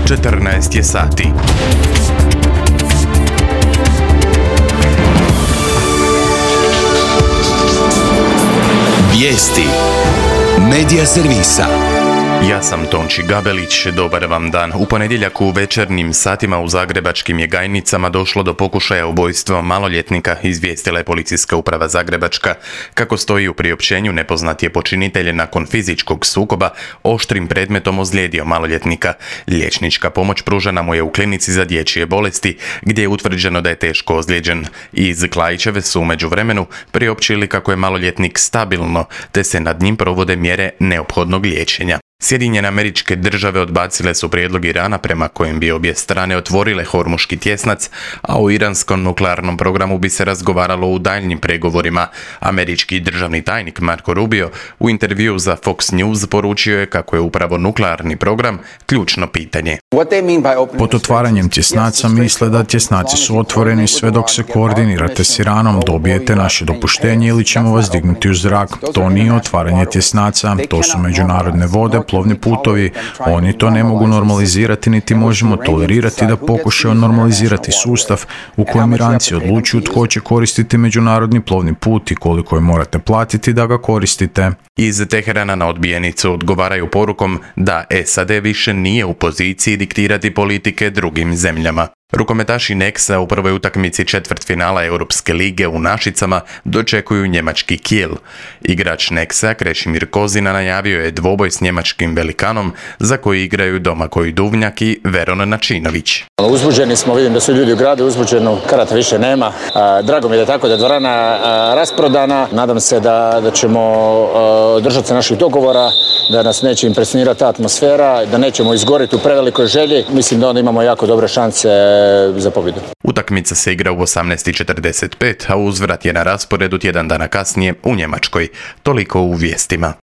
14 je sati. Vijesti Medija servisa. Ja sam Tonči Gabelić, dobar vam dan. U ponedjeljak u večernjim satima u zagrebačkim Jegajnicama došlo do pokušaja ubojstva maloljetnika, izvijestila je Policijska uprava Zagrebačka. Kako stoji u priopćenju, nepoznat je počinitelj nakon fizičkog sukoba oštrim predmetom ozlijedio maloljetnika. Liječnička pomoć pružena mu je u klinici za dječje bolesti, gdje je utvrđeno da je teško ozlijeđen. Iz Klaićeve su u međuvremenu priopćili kako je maloljetnik stabilno, te se nad njim provode mjere neophodnog liječenja. Sjedinjene Američke Države odbacile su prijedlog Irana prema kojem bi obje strane otvorile Hormuški tjesnac, a o iranskom nuklearnom programu bi se razgovaralo u daljnjim pregovorima. Američki državni tajnik Marco Rubio u intervjuu za Fox News poručio je kako je upravo nuklearni program ključno pitanje. Pod otvaranjem tjesnaca misle da tjesnaci su otvoreni sve dok se koordinirate s Iranom, dobijete naše dopuštenje ili ćemo vas dignuti u zrak. To nije otvaranje tjesnaca, to su međunarodne vode, plovni putovi. Oni to ne mogu normalizirati, niti možemo tolerirati da pokušaju normalizirati sustav u kojem Iranci odlučuju tko će koristiti međunarodni plovni put i koliko je morate platiti da ga koristite. Iz Teherana na odbijenicu odgovaraju porukom da SAD više nije u poziciji diktirati politike drugim zemljama. Rukometaši Nexa u prvoj utakmici četvrtfinala Europske lige u Našicama dočekuju njemački Kiel. Igrač Nexa Krešimir Kozina najavio je dvoboj s njemačkim velikanom za koji igraju Domagoj Duvnjak i Veron Načinović. Uzbuđeni smo, vidim da su ljudi u gradu uzbuđeni, karata više nema. Drago mi je da tako da je dvorana rasprodana. Nadam se da ćemo držati se naših dogovora, da nas neće impresionirati ta atmosfera, da nećemo izgoriti u prevelikoj želji. Mislim da onda imamo jako dobre šanse za pobjedu. Utakmica se igra u 18:45, a uzvrat je na rasporedu tjedan dana kasnije u Njemačkoj. Toliko u vijestima.